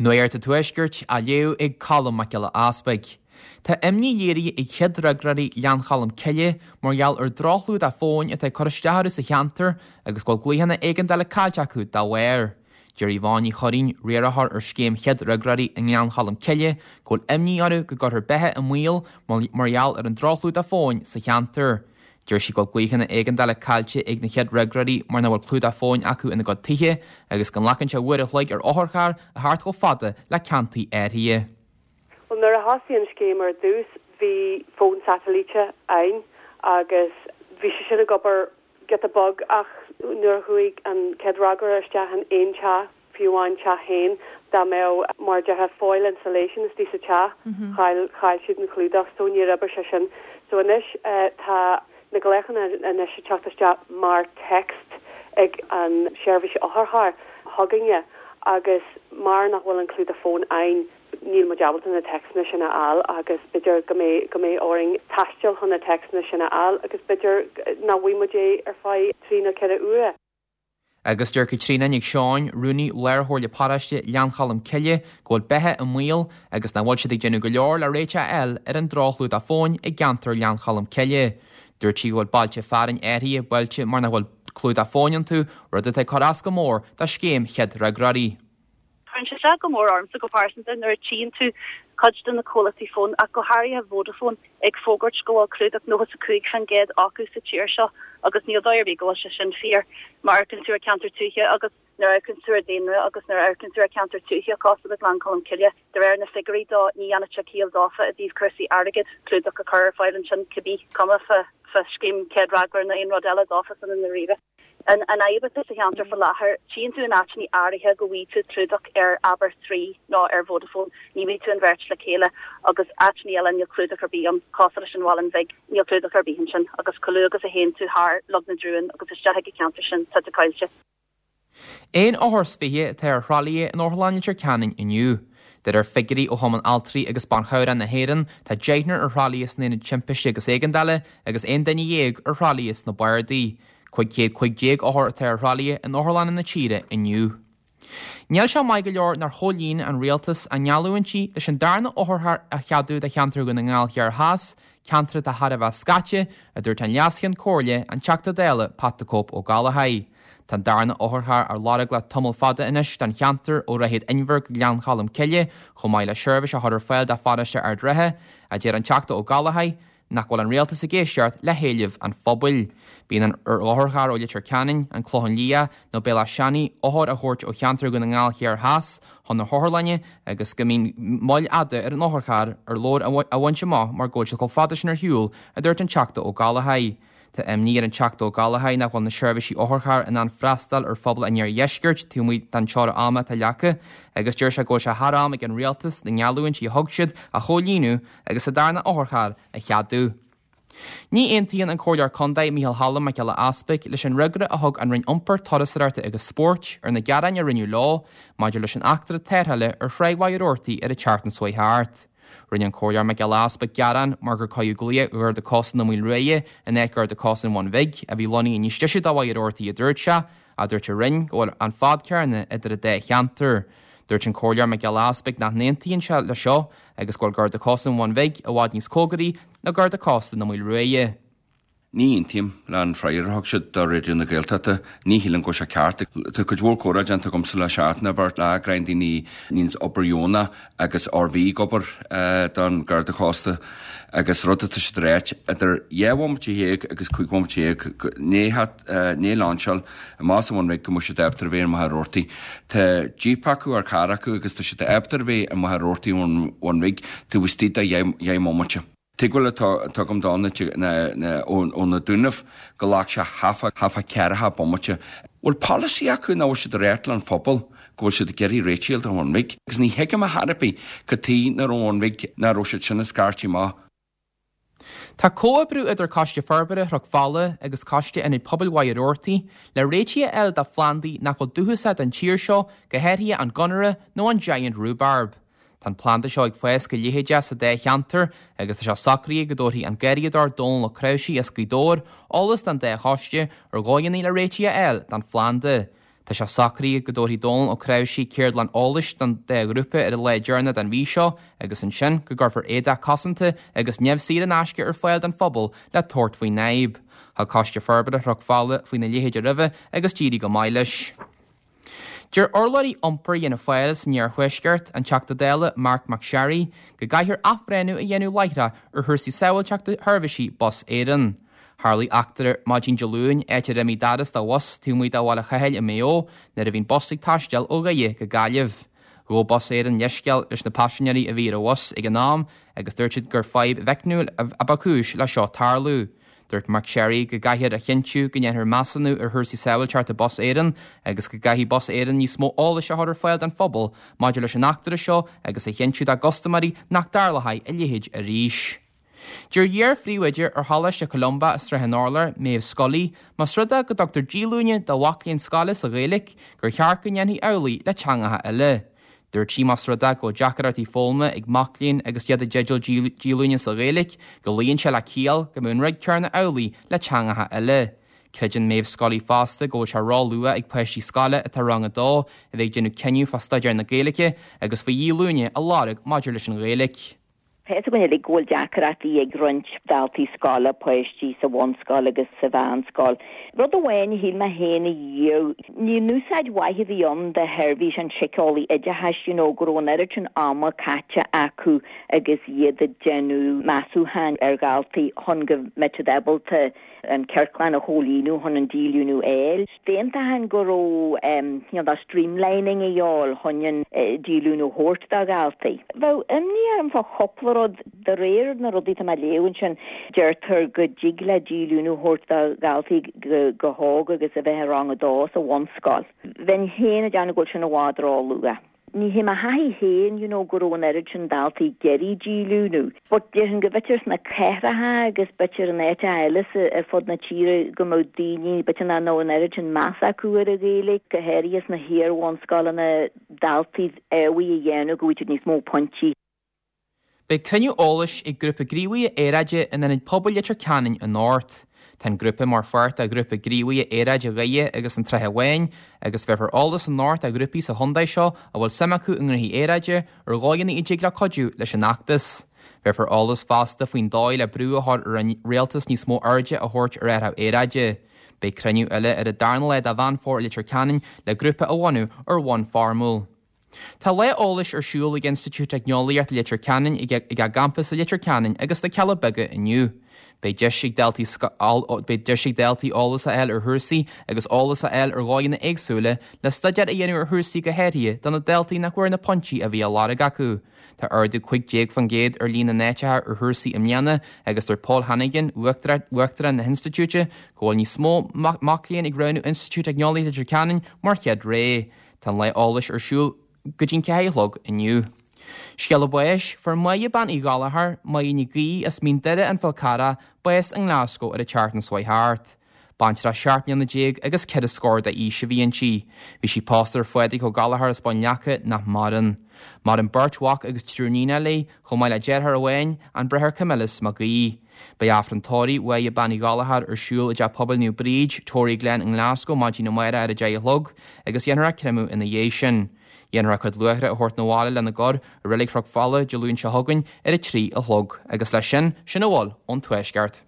Nuacht an Tuaiscirt á léamh ag Colm Mac Giolla Easpaig. Tá imní léirithe ag chéad fhreagróirí Ghleann Cholm Cille mar gheall ar droch-chlúdach fóin atá ag cur isteach orthu sa cheantar agus go bhfuil glaochanna éigeandála caillte acu dá bharr. Deir Yvonne Ní Churraoin, riarthóir ar scéim chéad fhreagróirí i nGleann Cholm Cille, go bhfuil imní orthu go gcuirfear beatha i mbaol mar gheall ar an droch-chlúdach fóin sa cheantar. Deir sí go bhfuil glaochanna éigeandála caillte ag na chéad fhreagróirí mar nach bhfuil clúdach fóin acu ina gcuid tithe agus go nglacann sé uair a chloig ar otharcharr a theacht chomh fada le ceantaí áirithe. Bhuel, nuair a thosaigh an scéim ar dtús bhí fón satailíte ann agus bhí sé sin ag obair giota beag ach nuair a chuaigh an chéad fhreagróir isteach in aon teach, fiú amháin teach féin, dá mbeadh, mar a déarfá, foil insulation istigh sa teach, chaill, chaill siad an clúdach, so níor oibrigh sé sin. So anois tá na glaochanna anois ag teacht isteach mar text ag an seirbhís otharchairr chugainne agus mar nach bhfuil an clúdach fóin ann, níl muid ábalta na téacsanna sin a fháil agus b'fhéidir go mbeidh, go mbeidh orainn taisteal chun na téacsanna sin a fháil agus b'fhéidir nach bhfaighidh muid é ar feadh trí nó 4 uaire. Agus deir Caitríona Nic Seoin, Rúnaí Lár-Chomhairle Paróiste Ghleann Cholm Cille, go bhfuil beatha i mbaol agus nach bhfuil siad ag déanamh go leor le réiteach a fháil ar an droch-chlúdach fóin i gceantar Ghleann Cholm Cille. Dúirt sí go bhfuil bailte fearainn áirithe buailte mar nach bhfuil clúdach fóin iontu, rud atá ag cur as go mór do scéim chéad fhreagróirí. Cuireann sé isteach go mór ormsa go pearsanta nuair a tchíonn tú cuid de na comhlachtaí fóin, ach go háirithe Vodafone, ag fógairt go bhfuil clúdach 95% acu sa tír seo agus níl dóigh ar bith go bhfuil sé sin fíor má amharcann tú ar cheantar tuaithe agus nuair a amharcann tú ar daonra agus nuair a amharcann tú ar cheantar tuaithe cosúil le Gleann Cholm Cille. De réir na figiúirí dó ní dhéanfadh sé ciall dófa i dtaobh cúrsaí airgid clúdach a chur ar fáil ansin cibé cuma fá scéim chéad fhreagróir nó aon rud eile dófa san i ndáiríre. An fhadhb atá sa cheantar faoi láthair, tchíonn tú in áiteanna áirithe go bhfaighidh tú clúdach ar abair Three nó ar Vodafone, ní bhfaighidh tú an bheirt le chéile, agus áiteanna eile níl clúdach ar bith ann, cosúil leis an Mhuileann Bhig, níl clúdach ar bith ansin, agus chomh luath agus a théann tú thar Log na dTriúin agus isteach ag an cheantar sin, tá tú caillte. Aon othar is 20 atá ar thralaithe in Otharlann Leitir Ceanainn inniu. De réir figiúirí ó Chumann Altraí agus Ban Chabhrach na hÉireann, tá deichniúr ar thralaithe san Aonad Timpiste agus Éigeandála agus 11 duine ar thralaithe sna bardaí. 515 othar atá ar thralaithe in otharlanna na tíre inniu. Níl sé maith go leor nár chomhlíon an Rialtas a ngeallúintí leis an darna otharcharr a cheadú do cheantar Dhún na nGall Thiar Theas, ceantar atá thar a bheith scaite, a dúirt an Leas-Cheann Comhairle, an Teachta Dála Pat the Cope Ó Gallchóir. Tá an darna otharcharr á lorg le tamall fada anois don cheantar ó Dhroichead Inbhir go Gleann Cholm Cille chomh maith le seirbhís a chur ar fáil do pharóiste Ard Rátha, a deir an Teachta Ó Gallchóir. nach bhfuil an rialtas ag éisteacht le héilimh an phobail. Bíonn ar otharcharr ó Leitir Ceanainn, An Clochán Liath nó Béal Átha Seanaidh othair a thabhairt ó cheantar Dhún na nGall Thiar Theas chun na hotharlainne agus go mbíonn moill fhada ar an otharcharr ar leabhar a bhaint amach mar go bhfuil siad chomh fada sin ar shiúl, a dúirt an Teachta Ó Gallchóir. Tá imní ar an Teachta Ó Gallchóir nach bhfuil na seirbhísí otharchairr in ann freastal ar phobal an iardheiscirt taobh amuigh den teorainn ama atá leagtha agus deir sé go bhfuil sé thar am ag an rialtas na ngeallúintí a thug siad a chomhlíonadh agus an darna otharcharr a cheadú. Ní aontaíonn an Comhairleoir Contae Micheál Cholm Mac Giolla Easpaig leis an fhreagra a thug an Roinn Iompair, Turasóireachta agus Spóirt ar na gearáin a rinneadh leo maidir leis an eachtra tarrthála ar Thráigh Mhachaire Rabhartaigh ar an tseachtain seo chuaigh thart. Rinne an Comhairleoir Mac Giolla Easpaig gearán mar gur cuireadh glaoch Gharda Cósta na Maoile Ruaidhe in áit Garda Cósta an Bhun Bhig, a bhí lonnaithe níos deise do Mhachaire Rabhartaigh a dúirt sé, ach dúirt an Roinn go bhfuil an fad céanna idir an dá cheantar. Dúirt an Comhairleoir Mac Giolla Easpaig nach n-aontaíonn sé leis seo agus go bhfuil Garda Cósta an Bhun Bhig i bhfad níos cóngaraí ná Garda Cósta na Maoile Ruaidhe. Ní aontaím le an freagra a thug siad do Raidió na Gaeltachta. Ní shílim go bhfuil sé ceart. Tá cuid mhór comhrá déanta agamsa le seachtain nó beirt le greim daoine a níonns obair dheonach agus or bhí ag obair don Garda Cósta agus rud atá siad a ráit, idir 12 bhomaite agus 15 bhomaite i ndiaidh lainseáil amach as an Bhun Bhig go mbeadh siad ábalta a bheith i Machaire Rabhartaigh. Tá jíp acu or carr acu agus tá siad ábalta a bheith i Machaire Rabhartaigh ón Bhun Bhig taobh istigh de dheich mbomaite. Tuigbheáil atá agam dó ó na Dúnaibh go ghlac sé half a ceathracha bomaite. Bhfuil polasaí acu nó bhfuil siad ag ráit leis an phobal go bhfuil siad ag iarraidh réitigh don Bhun Bhig? Agus ní thuigim ar chor ar bith cad tuige nach raibh an Bhun Bhig, nach raibh siad sin ag scairtigh amach. Tá comhoibriú idir Coiste Forbartha Chnoc Fola agus Coiste Ionad Pobail Mhachaire Rabhartaigh le réitigh a fháil do phlandaí nach bhfuil dúchasach don tír seo, go háirithe an Gunnera nó an Giant Rhubarb. Tá an planda seo ag fás go leitheadach sa dá cheantar agus tá sé socraithe go dtabharfaidh an garraíodóir Dónal Ó Cnáimhsí as Gaoth Dobhair eolas don dá choiste ar dhóigheanna le réitigh a fháil don phlanda. Tá sé socraithe go dtabharfaidh Dónal Ó Cnáimhsí ceardlann eolais don dá ghrúpa ar an lá deireanach den mhí seo agus ansin go gcuirfear éadach cosanta agus nimh saor in aisce ar fáil don phobal le tabhairt faoin fhadhb. Thug Coiste Forbartha Chnoc Fola faoina leithéid roimhe agus d'éirigh go maith leis. Deir urlabhraí iompair Fhianna Fáil san iarthuaisceart, an Teachta Dála Marc MacSharry, go gcaithfear athbhreithniú a dhéanamh láithreach ar chúrsaí sábháilteachta sheirbhísí Bus Éireann. Tharlaigh eachtra maidin Dé Luain, áit ar imigh doras de bhus taobh amuigh de Bhaile Chathail i Maigh Eo nuair a bhí an bus ag taisteal ó Dhoire go Gaillimh. Ghabh Bus Éireann leithscéal leis na paisinéirí a bhí ar an bhus ag an am agus dúirt siad gur fadhb mheicniúil a ba chúis le seo tarlú. Dúirt MacSharry go gcaithfear a chinntiú go ndéanfar measúnú ar chúrsaí sábháilteachta Bus Éireann agus go gcaithfidh Bus Éireann níos mó eolais a chur ar fáil don phobal maidir leis an eachtra seo agus a chinntiú dá gcustaiméirí nach dtarlóidh a leithéid arís. Deir iar-phríomhoide ar Choláiste Columba i Srath an Urláir, Maeve Scully, más rud é go dtugtar díolúine do mhac léinn scoile sa Ghaeilge gur cheart go ndéanfaí amhlaidh le teangacha eile. Dúirt sí más rud é go bhfuil deacrachtaí foghlama ag mac léinn agus iad i dteideal díolúine sa Ghaeilge, go luíonn sé le ciall go mbeadh an rud céanna amhlaidh le teangacha eile. Creideann Maeve Scully fosta go bhfuil sé ró-luath ag páistí scoile atá i rang a dó a bheith ag déanamh cinneadh fá staidéar na Gaeilge agus faoi dhíolúine a lorg maidir leis an Ghaeilge. Tá fhios againn uilig go bhfuil deacrachtaí ag roinnt daltaí scoile, páistí sa bhunscoil agus sa mheánscoil. Rud amháin a shíl mé féin a dhíobh, ní an úsáid mhaith a bhí ann de sheirbhís an tsíceolaí oideachais, you know, go raibh an oiread sin ama caite acu agus iad ag déanamh measúcháin ar dhaltaí chun go mbeadh siad ábalta an ciorclán a chomhlíonadh chun an díolúine a fháil. D'aontóinn go raibh you know, streamlining a dhíobháil chun an díolúine a thabhairt do dhaltaí. Bheadh imní orm fá chúpla rud. De réir na rudaí atá mé a léamh ansin, deirtear go dtig le díolúine a thabhairt do dhaltaí go hóg agus a bheith i rang a dó sa bhunscoil. Bheinn féin ag déanamh go bhfuil sin i bhfad ró-luath. Ní hé mo thaithí féin you know go raibh an oiread sin daltaí ag iarraidh díolúine but déarfainn go b'fhéidir sna cathracha agus b'fhéidir in áiteacha eile sa ar fud na tíre go mbeadh daoine b'fhéidir nach raibh an oiread sin meas acu ar an Ghaeilge, go háirithe sna hiar-bhunscoileanna daltaí amhlaidh a dhéanamh go bhfaighidh siad níos mó pointí. Beidh cruinniú eolais ag Grúpa Gníomhaithe Aeráide in Ionad Pobail Leitir Ceanainn anocht. Tá an grúpa mar pháirt de Ghrúpa Gníomhaithe Aeráide Dhoire agus an tSratha Bháin agus bhéarfar eolas anocht do ghrúpaí sa chontae seo a bhfuil suim acu i ngnóthaí aeráide ar dhóigheanna a dtig leo cuidiú leis an fheachtas. Bhéarfar eolas fosta faoin dóigh le brú a chur ar an rialtas níos mó airde a thabhairt ar athrú aeráide. Beidh cruinniú eile ar an darna lá de Mheán Fómhair i Leitir Ceanainn le grúpa a bhunú ar bhonn foirmiúil. Tá lá eolais ar siúl ag Institiúid Teicneolaíochta Leitir Ceanainn ag a gcampas i Leitir Ceanainn agus sna Cealla Beaga inniu. Beidh deis ag daltaí beidh deis ag daltaí eolas a fháil ar chúrsaí agus eolas a fháil ar dhóigheanna éagsúla le staidéar a dhéanamh ar chúrsaí go háirithe do na daltaí nach bhfuair na pointí a bhí á lorg acu. Tá ardú 15% ar líon na n-áiteacha ar chúrsaí i mbliana agus deir Paul Hannigan, Uachtarán na hInstitiúide, go bhfuil níos mó mac léinn ag roghnú Institiúid Teicneolaíochta Leitir Ceanainn mar chéad rogha. Tá an lá eolais ar siúl go dtí'n 4 a chlog inniu. Scéala báis, Fuair Máire Bean Uí Ghallchóir, Máire Ní Gaoith as Mín Doire an Fál Carrach, bás i nGlasgow ar an tseachtain seo thart. Baintreach 17 mbliana agus ceithre scór d'aois a bhí inti. Bhí sí pósta ar Phádraig Ó Gallchóir as Bun Leaca nach maireann. Maireann beirt mhac agus triúr níonacha léi, chomh maith le deartháir amháin, an Bráthair Camillus Mac Aoidh. Beidh Aifreann tórraimh Mháire Bean Uí Ghallchóir ar siúl i dTeach Pobail Naomh Bríd, Toryglen i nGlasgow maidin amárach ar a 10 a chlog agus dhéanfar a créamadh ina dhiaidh sin. Dhéanfar a cuid luaithre a thabhairt 'na bhaile lena gcur i Reilig Chnoc Fola Dé Luain seo chugainn ar a 3 a chlog. Agus leis sin, sin a bhfuil ón Tuaisceart.